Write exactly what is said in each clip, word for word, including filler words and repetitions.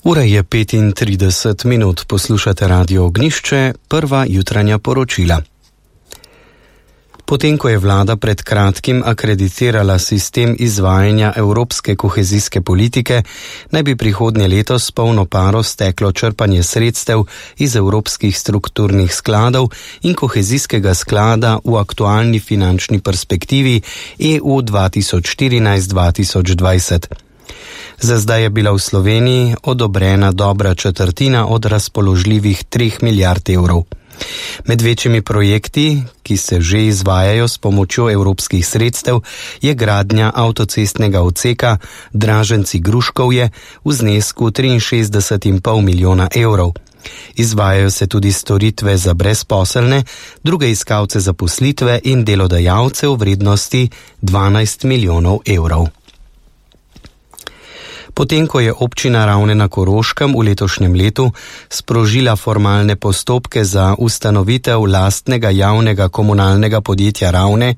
Ura je petintrideset minut, poslušate Radio Ognjišče, prva jutranja poročila. Potem, ko je vlada pred kratkim akreditirala sistem izvajanja evropske kohezijske politike, naj bi prihodnje leto s polno paro steklo črpanje sredstev iz evropskih strukturnih skladov in kohezijskega sklada v aktualni finančni perspektivi E U dva tisoč štirinajst do dva tisoč dvajset. Za zdaj je bila v Sloveniji odobrena dobra četrtina od razpoložljivih treh milijard evrov. Med večjimi projekti, ki se že izvajajo s pomočjo evropskih sredstev, je gradnja avtocestnega odseka Draženci-Gruškovje v znesku triinšestdeset in pol milijona evrov. Izvajajo se tudi storitve za brezposelne, druge iskalce zaposlitve in delodajalce v vrednosti dvanajst milijonov evrov. Potem, ko je občina Ravne na Koroškem v letošnjem letu sprožila formalne postopke za ustanovitev lastnega javnega komunalnega podjetja Ravne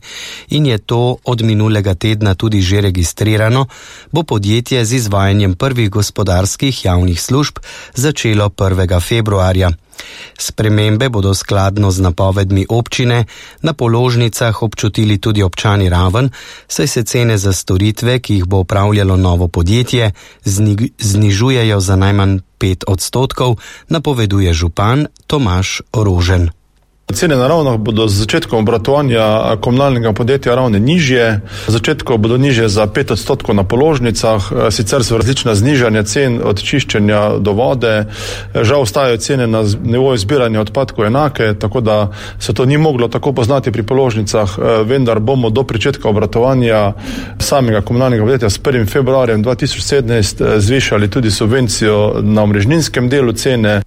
in je to od minulega tedna tudi že registrirano, bo podjetje z izvajanjem prvih gospodarskih javnih služb začelo prvega februarja. Spremembe bodo skladno z napovedmi občine na položnicah občutili tudi občani Raven, saj se cene za storitve, ki jih bo upravljalo novo podjetje, zni- znižujejo za najmanj pet odstotkov, napoveduje župan Tomaž Rožen. Cene na Ravnah bodo z začetkom obratovanja komunalnega podjetja Ravne nižje. Z začetkom bodo nižje za pet odstotkov na položnicah, sicer so različna znižanja cen od čiščenja do vode. Žal ostajajo cene na nivoju zbiranja odpadkov enake, tako da se to ni moglo tako poznati pri položnicah, vendar bomo do pričetka obratovanja samega komunalnega podjetja s prvim februarjem dva tisoč sedemnajst zvišali tudi subvencijo na omrežninskem delu cene.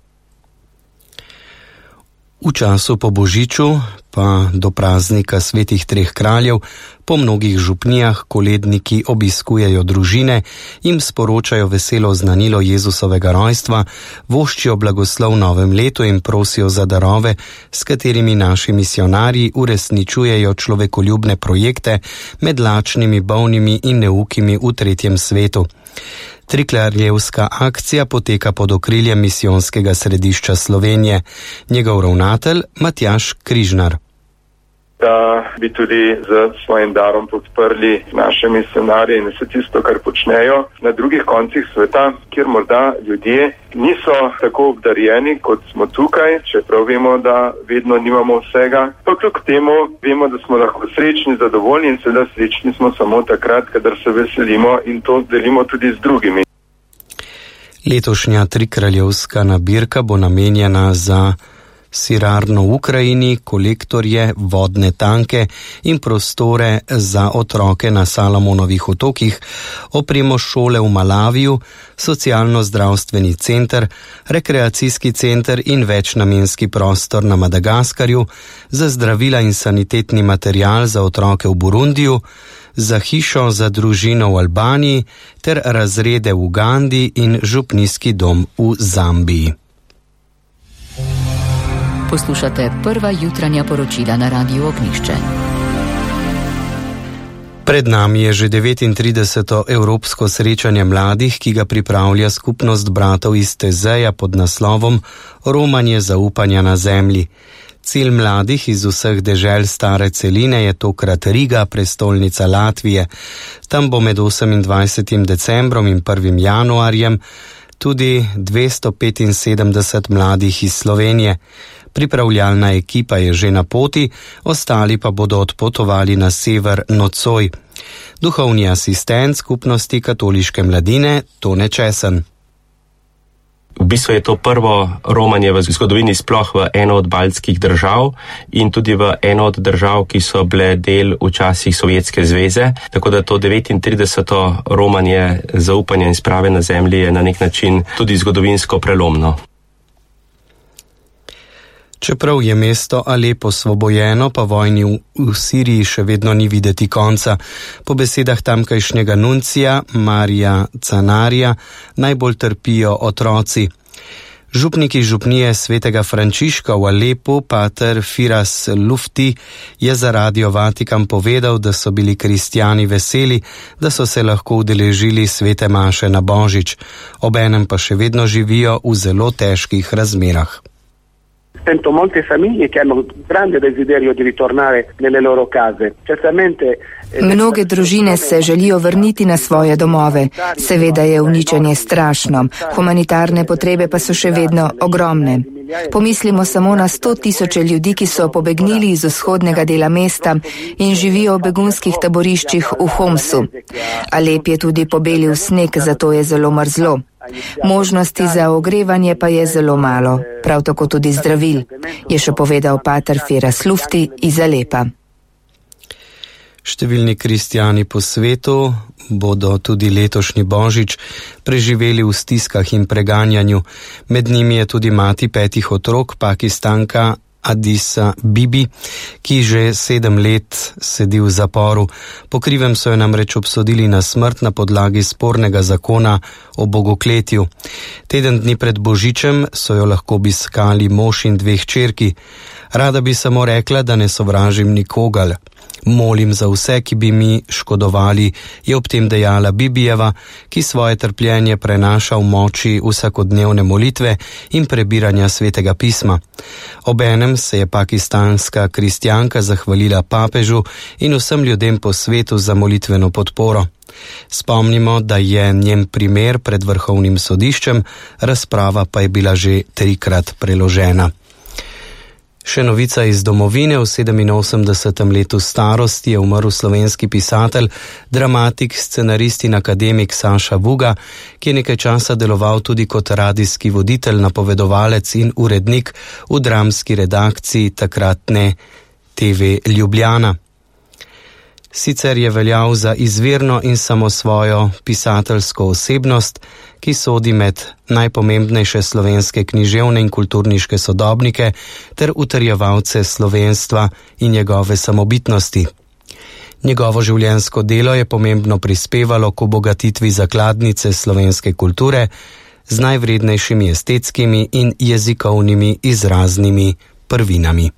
V času po Božiču pa do praznika svetih treh kraljev po mnogih župnijah koledniki obiskujejo družine, jim sporočajo veselo znanilo Jezusovega rojstva, voščijo blagoslov v novem letu in prosijo za darove, s katerimi naši misionarji uresničujejo človekoljubne projekte med lačnimi, bolnimi in neukimi v tretjem svetu. Trikralevska akcija poteka pod okriljem misijonskega središča Slovenije. Njegov ravnatelj Matjaž Križnar. Da bi tudi z svojim darom podprli naše misionarje in vse tisto, kar počnejo na drugih koncih sveta, kjer morda ljudje niso tako obdarjeni, kot smo tukaj, čeprav vemo, da vedno nimamo vsega. Pa kljub temu vemo, da smo lahko srečni, zadovoljni in seveda srečni smo samo takrat, kadar se veselimo in to delimo tudi z drugimi. Letošnja trikraljevska nabirka bo namenjena za sirarno v Ukrajini, kolektorje, vodne tanke in prostore za otroke na Salomonovih otokih, opremo šole v Malaviju, socialno-zdravstveni center, rekreacijski center in večnamenski prostor na Madagaskarju, za zdravila in sanitetni material za otroke v Burundiju, za hišo za družino v Albaniji ter razrede v Ugandi in župnijski dom v Zambiji. Poslušate prva jutranja poročila na Radiu Ognjišče. Pred nami je že devetintrideseto evropsko srečanje mladih, ki ga pripravlja skupnost bratov iz Tezeja pod naslovom Romanje zaupanja na zemlji. Cilj mladih iz vseh dežel stare celine je tokrat Riga, prestolnica Latvije. Tam bo med osemindvajsetim decembrom in prvim januarjem tudi dvesto petinsedemdeset mladih iz Slovenije. Pripravljalna ekipa je že na poti, ostali pa bodo odpotovali na sever nocoj. Duhovni asistent skupnosti katoliške mladine Tone Česen. V bistvu je to prvo romanje v zgodovini sploh v eno od baltskih držav in tudi v eno od držav, ki so bile del včasih Sovjetske zveze. Tako da to devetintrideseto romanje zaupanja in sprave na zemlji je na nek način tudi zgodovinsko prelomno. Čeprav je mesto Alepo osvobojeno, pa vojni v, v Siriji še vedno ni videti konca. Po besedah tamkajšnjega nuncija Marija Canarja najbolj trpijo otroci. Župnik iz župnije svetega Frančiška v Alepu, pater Firas Lufti, je za Radio Vatikan povedal, da so bili kristjani veseli, da so se lahko udeležili svete maše na Božič, obenem pa še vedno živijo v zelo težkih razmerah. Sento molte famiglie che hanno grande desiderio di ritornare nelle loro case. Certamente Mnoge družine se želijo vrniti na svoje domove. Seveda je uničenje strašno, humanitarne potrebe pa so še vedno ogromne. Pomislimo samo na sto tisoče ljudi, ki so pobegnili iz vzhodnega dela mesta in živijo v begunskih taboriščih v Homsu. Alep je tudi pobelil sneg, zato je zelo mrzlo. Možnosti za ogrevanje pa je zelo malo, prav tako tudi zdravil, je še povedal pater Firas Lufti iz Alepa. Številni kristjani po svetu bodo tudi letošnji Božič preživeli v stiskah in preganjanju. Med njimi je tudi mati petih otrok, Pakistanka Adisa Bibi, ki že sedem let sedi v zaporu. Po krivem so jo namreč obsodili na smrt na podlagi spornega zakona o bogokletju. Teden dni pred Božičem so jo lahko obiskali mož in dve hčerki. Rada bi samo rekla, da ne sovražim nikogar. Molim za vse, ki bi mi škodovali, je ob tem dejala Bibijeva, ki svoje trpljenje prenaša v moči vsakodnevne molitve in prebiranja svetega pisma. Obenem se je pakistanska kristjanka zahvalila papežu in vsem ljudem po svetu za molitveno podporo. Spomnimo, da je njen primer pred vrhovnim sodiščem, razprava pa je bila že trikrat preložena. Še novica iz domovine. V sedeminosemdesetem letu starosti je umrl slovenski pisatelj, dramatik, scenarist in akademik Saša Vuga, ki je nekaj časa deloval tudi kot radijski voditelj, napovedovalec in urednik v dramski redakciji takratne te ve Ljubljana. Sicer je veljal za izvirno in samosvojo pisateljsko osebnost, ki sodi med najpomembnejše slovenske književne in kulturniške sodobnike ter utrjevalce slovenstva in njegove samobitnosti. Njegovo življenjsko delo je pomembno prispevalo k obogatitvi zakladnice slovenske kulture z najvrednejšimi estetskimi in jezikovnimi izraznimi prvinami.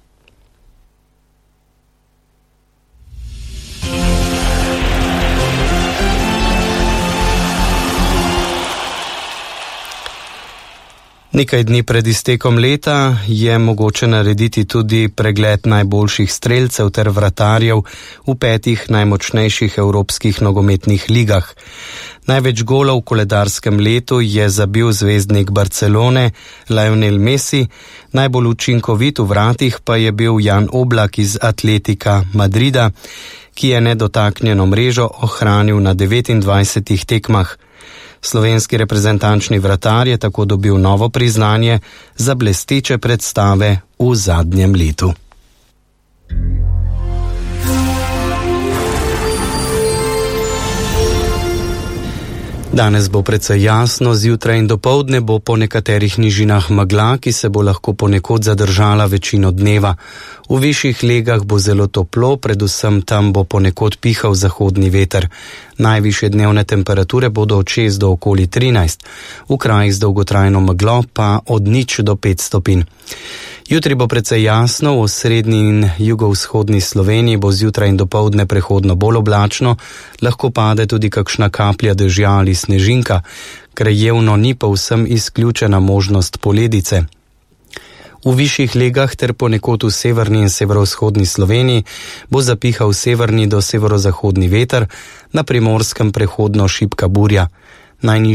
Nekaj dni pred iztekom leta je mogoče narediti tudi pregled najboljših strelcev ter vratarjev v petih najmočnejših evropskih nogometnih ligah. Največ golov v koledarskem letu je zabil zvezdnik Barcelone Lionel Messi, najbolj učinkovit v vratih pa je bil Jan Oblak iz Atletika Madrida, ki je nedotaknjeno mrežo ohranil na devetindvajsetih tekmah. Slovenski reprezentančni vratar je tako dobil novo priznanje za blesteče predstave v zadnjem letu. Danes bo precej jasno, zjutraj in dopoldne bo po nekaterih nižinah megla, ki se bo lahko ponekod zadržala večino dneva. V višjih legah bo zelo toplo, predvsem tam bo ponekod pihal zahodni veter. Najvišje dnevne temperature bodo od šest do okoli trinajst, v krajih z dolgotrajno meglo pa od nič do pet stopinj. Jutri bo precej jasno, v srednji in jugovzhodni Sloveniji bo zjutraj in dopoldne prehodno bolj oblačno, lahko pade tudi kakšna kaplja dežja ali snežinka, krajevno ni povsem izključena možnost poledice. V višjih legah ter ponekod v severni in severovzhodni Sloveniji bo zapihal severni do severozahodni veter, na Primorskem prehodno šibka burja. Najnižja